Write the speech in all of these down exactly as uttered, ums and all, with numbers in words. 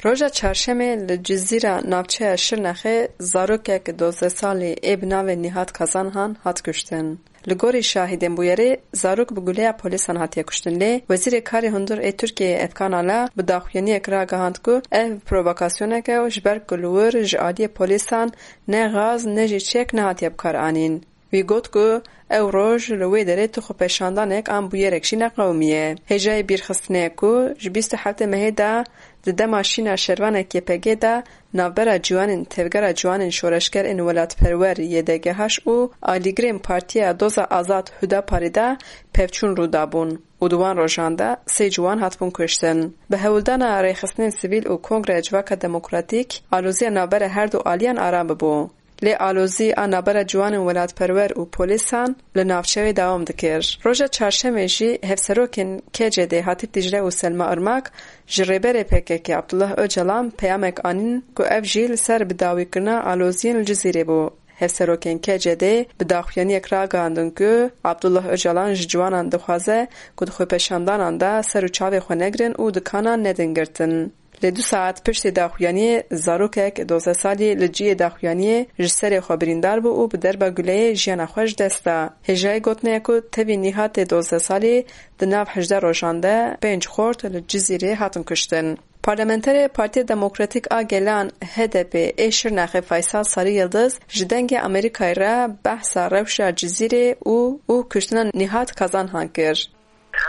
Roja çarşemê li Cizîra navçeya Şirnexê zarokek dozdeh salî ê bi navê Nîhat Kazanhan hat kuştin. Li gorî şahidên bûyerê, zarok bi guleya polîsan hatiye kuştin, lê Wezîrê Karê Hundir ê Tirkiyeyê Efkan Ala bi daxuyaniyek ragihand ku ev provokasyoneke û ji ber ku li wir ji aliyê polîsan ne gaz ne jî çek nehatiye bikaranîn. Wî got ku ew roj li wê derê tu xwepêşandanek an bûyerek jî neqewimiye. Hêjayî bîrxistinê ye ku ji bîst û heftê mehê de di dema şîna şervanê K P G de navbera ciwanên Tevgera Ciwanên Şoreşger ên Welatperwer Y D G H û alîgirên Partiya Doza Azad Hudaparê de pevçûn rû dabûn û di wan rojan de sê ciwan hatibûn kuştin. Bi hewldana rêxistinên sivîl û Kongreya Civaka Demokratîk, aloziya navbera her du aliyan aram bibû. Lê alozî a navbera ciwanên welatperwer û polîsan li navçeyê dewam dikir. Roja çarşemê jî hevserokên K C D Hatîp Dîcle û Selma Irmak ji rêberê P K K Abdullah Ocalan peyamek anîn ku ev jî li ser bidawîkirina aloziyên li Cizîrê bû. Hevserokên K C D bi daxuyaniyek ragihandin ku Abdullah Ocalan ji ciwanan dixwaze ku di xwepêşandanan de ser û çavê xwe negirin û dikanan nedin girtin. Lê du saet piştî daxuyaniyê zarokek dozdeh salî li cihê daxuyaniyê ji serê xwe birîndar bû û bi derba guleyê jiyana xwe ji dest da. Hêjayî gotinê ye ku tevî Nîhatê dozdeh salî di nav hejdeh rojan de pênc xort li Cizîrê hatin kuştin. Parlamenterê Partiya Demokratîk a Gelan, H D P, ê Şirnexê Faysal Sarı Yıldız ji Dengê Amerîkayê re behsa rewşa Cizîrê û û kuştina Nîhat Kazanhan kir.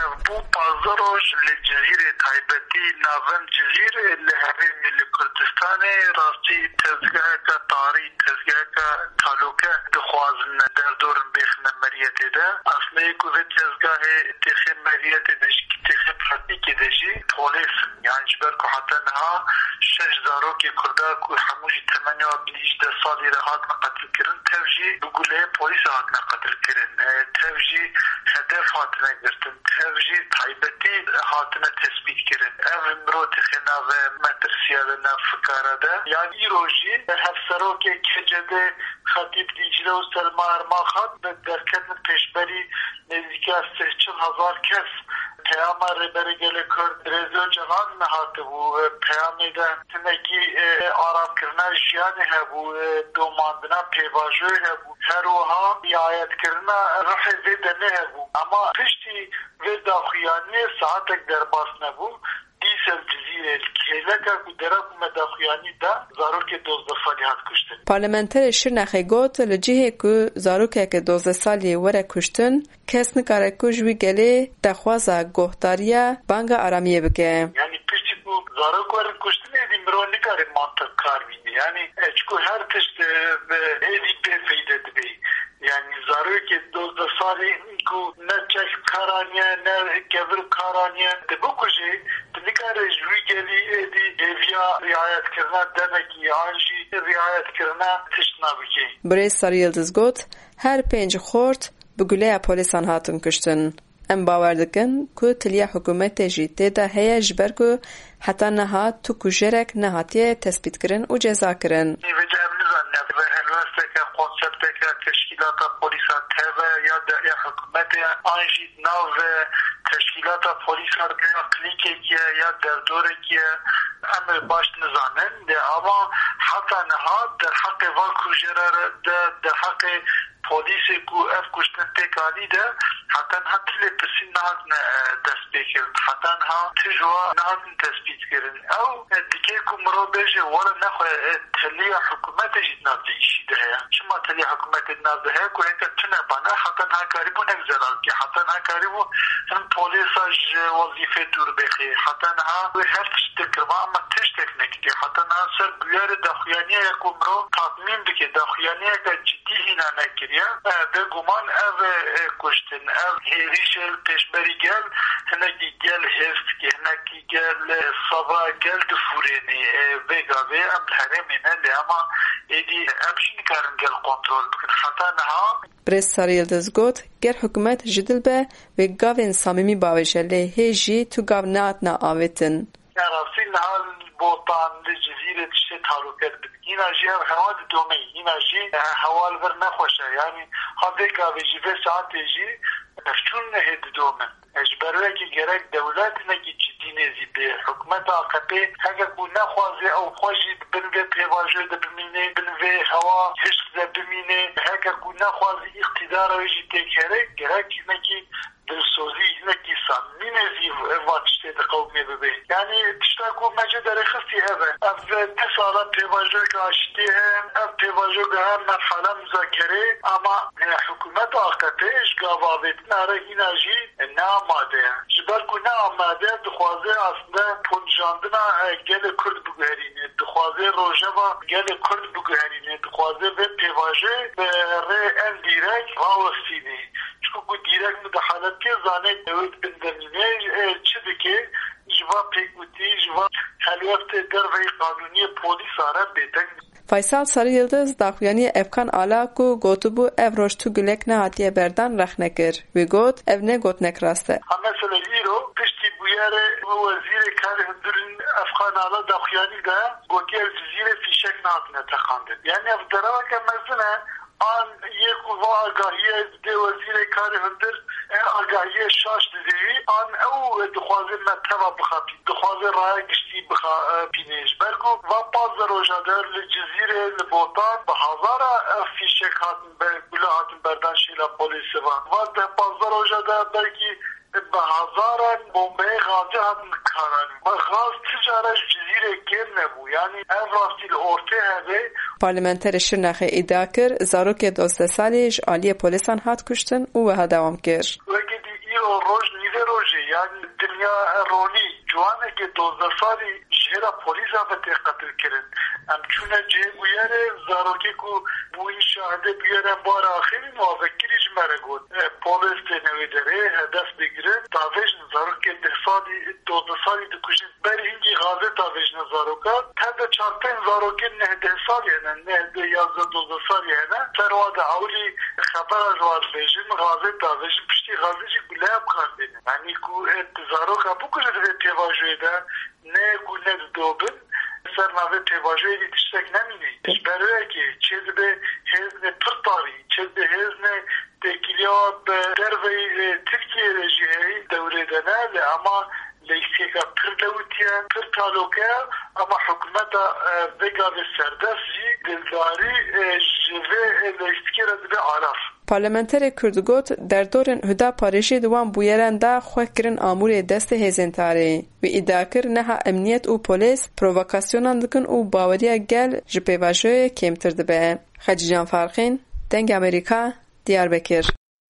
Ev bû pazdeh roj li Cizîrê, taybetî navend Cizîr li herêmê li Kurdistanê, rastî tezgeheke tarî, tezgeheke talûke dixwazin derdorin bêxine meriyetê de. Aslê ku vê tezgahê têxê meriyetê de jî, têxê pratîkê de jî polês in. Yan ji ber ku heta niha şeş zarokê Kurda ku hemû jî temenê wan bîst û deh salî re hatin qetilkirin, tev jî bi guleyê polîsa hatine qetilkirin. E, tev jî hedef hatine girtin. Ev jî taybetî hatine tespîtkirin. Ev mirov têxe nave metirsiya de, nav fikara de. Yan îro jî hevserokê K C D Xetîb Dîcle û Selma Ermax hat bi derketin pêşberî nêzîka sih çil hezar kes. Peyama Rêberê Gelê Kurd Birêz Ocalan hatibû. Peyamê de hinekî, e, aramkirina jiyanê hebû, e, domandina pêvajoyê hebû. Her wiha riayetkirina ruhê vê demê hebû. Ama piştî vê daxuyaniyê saetek derbas nebû. Dîsa li Cizîrê li kêleka ku dera ku me daxuyanî da, zarokê dozdeh salî hat kuştin. Parlamenterê Şirnexê got, li cihê ku zarokeke dozdeh salî were kuştin, kes nikare ku ji wî gelê daxwaza guhdariya banga aramiyê bike. Yanî piştî ku zarok werin kuştin, êdî mirov nikare mantiq kar bîne. Yanî, e, çiku her tişt, e, bi êdî bê feyde dibe. Yanî zarokê dozdeh salî ku ne çek kar aniye, ne kevir kar aniye, tu bikujê, tu nikare ji wî gelî êdî hêviya riayetkirina demekî an jî riayetkirina tişt nabikî. Birêz Sarı Yıldız got, her pênc xort bi guleya polîsan hatin kuştin. Em bawer dikin ku tiliya hikûmetê jî tê de heye, ji ber ku heta niha tu kujerek nehatiye tespîtkirin û cezakirin. Nîvêde em nizanin ev helwesteke, konsepteke teşkîlata polîsa teve ya de ya hikûmetê an jî nav teşkîlata polîsa de ya klîkekî ye ya derdorekî ye, em ê baş nizanin. Lê ama heta niha derheqê van kujera de, derheqê polîsê ku ev kuştin pêk anî de heta niha tu lêpirsîn nehatine, e, destpêkirin. Heta niha tu ji wan nehatin tespîtkirin. Ew, e, dike ku mirov bêje, wele nexwe, e, teliya hikûmetê jî di nav vê îşî de heye. Çima teliya hikûmetê di nav de heye ku heke tune bana heta niha karîbû hinek zelal bike. Heta niha karîbû hin polîsa ji wezîfê dûr bêxê. Heta niha wê her tişt dikir, ama tiştek nekiriye. Heta niha ser bûyerê daxuyaniya ye ku mirov tatmîn bike. Daxuyaniyeke dî hîna nekiriye. E, bêguman ev, e, kuştin, ev hêrîşê li pêşberî gel, hinekî gel hêrs dike, hinekî gel, e, seba gel difûrênî. E, vê gavê em li herêmê ne, lê ema êdî em jî nikarin gel kontrol bikin. Heta niha. Birêz Sarı Yıldız got, ger hikûmet ji dil be, wê gavên samîmî bavêje, lê hê jî tu gav nehatina avêtin. Ya rastî niha li Botan, li Cizîrê tiştê talûke dibin. Hîna jî ev hewa didome. Hîna jî, e, hewa li vir nexweş e. Yanî ha vê gavê jî, vê saetê jî pevçûn hê didomin. E, ji ber wê yekê gerek dewlet hinekî cidî Dînê zî bi hikûmeta A K P, heke ku nexwaze ew xwe jî bi bin vê pêvajoyê de bimîne, bin vê hewa hişk de bimîne, heke ku nexwaze îqtîdara wê jî têkere, gerek hinekî dilsozî, hinekî samîmî zî va tiştê diqewimê bibe. Yanî tişta ku me jê derêxistî ev e. Ev du sala pêvajoyeke aştiyê heye. Ev pêvajo giha merhala muzakerê, ama, e, hikûmeta A K P ji gava avêtina re hîna jî ne amade ye. Ji ber ku ne amade ye, dixwaze aslinde ponijandina, e, gelê Kurd biguherîne, dixwaze rojeva gelê Kurd biguherîne, dixwaze vê pêvajoyê bi rê endîrek rawestîne. Çiku ku dîrek mudahalet ke, zanê ew ê di bin de mîne, e, çi dike, ji va pêkgotî, ji va helweftê derveyî qanûniyê polîsa re bêdeng. Faysal Sarı Yıldız daxuyaniyê Efkan Ala ku gotibû ev roj tu gulek nehatiye berdan rexne kir. Wî got, ev ne gotinek rast e. Ha, mesela îro piştî bûyerê wezîrê karê hundirên Efkan Ala daxuyanî de gotiye, li Cizîrê fîşek nehatine teqandin. Yanî ev dereweke mezin e. An yê ku va agahiyê didê wezîrê karê hundir, e, agahiyê şaş didê wî, an ew dixwaze me teva bixapî, dixwaze raya giştî bixapînê. Ji ber ku va pazdeh roja de li Cizîrê, li Botan, bi hezara ev fîşek hatin be, gule hatin berdan şêla polîsê van. Va deh pazdeh roja de belkî bi hezaran bombeyê gazê hatin karanîn. Bi gaz ti cara ji Cizîrê kêm nebû. Yanî ev rastî li ortê hebe. Parlamenterê Şirnexê îdia kir, zarokê dozdeh salî ji aliyê polîsan hat kuştin û wiha dewam kir. Weke dî îro roj nîvê rojê, yanî dinya ronî, ciwanekê dozdeh salî ji hêla polîsa ve tê qetilkirin. Em çûne cihê bûyerê, zarokê ku bûyî şahidê bûyerên bûyera axirîn û avekirî ji me re got, e, polîs têne wê derê, hedef digirin, davêjin zarokê deh salî, dozdeh salî dikujin. Berî hingî gazê davêjine zarokan, tev de çar pênc zarokên neh deh salî hene, neh deh yazdeh dozdeh salî hene. Ser wa de ewilî xebera ji wa dibêjin, gazê davêjin, piştî gazê jî guleya bi kar têne. Yanî ku, e, tu zaroka bikuje di vê pêvajoyê de, ne ku ne didobin, ser navê pêvajoyê dî tiştek nemîne. Ji ber wê yekê çê dibe hêzne pir tarî, çê dibe hêzne têkiliya bi derveyî, e, Tirkiyeyê de jî heyî dewrê de ne, lê ema leyîstikeka pir lewitî ye, pir talok e, ema hikûmeta, e, vê gavê serdest jî dildarî, e, ji vê, e, leyîstikê re dibe alaf. Parlamenterê Kurd got, derdorên Huda Parêjî di wan bûyeran de xwe kirin amûrê destê hêzên tarî. Wî îdia kir, niha emniyet û polîs provokasyonan dikin û baweriya gel ji pêvajoyê kêmtir dibe. Xecîcan Farqîn, Dengê Amerîka, Diyarbekir.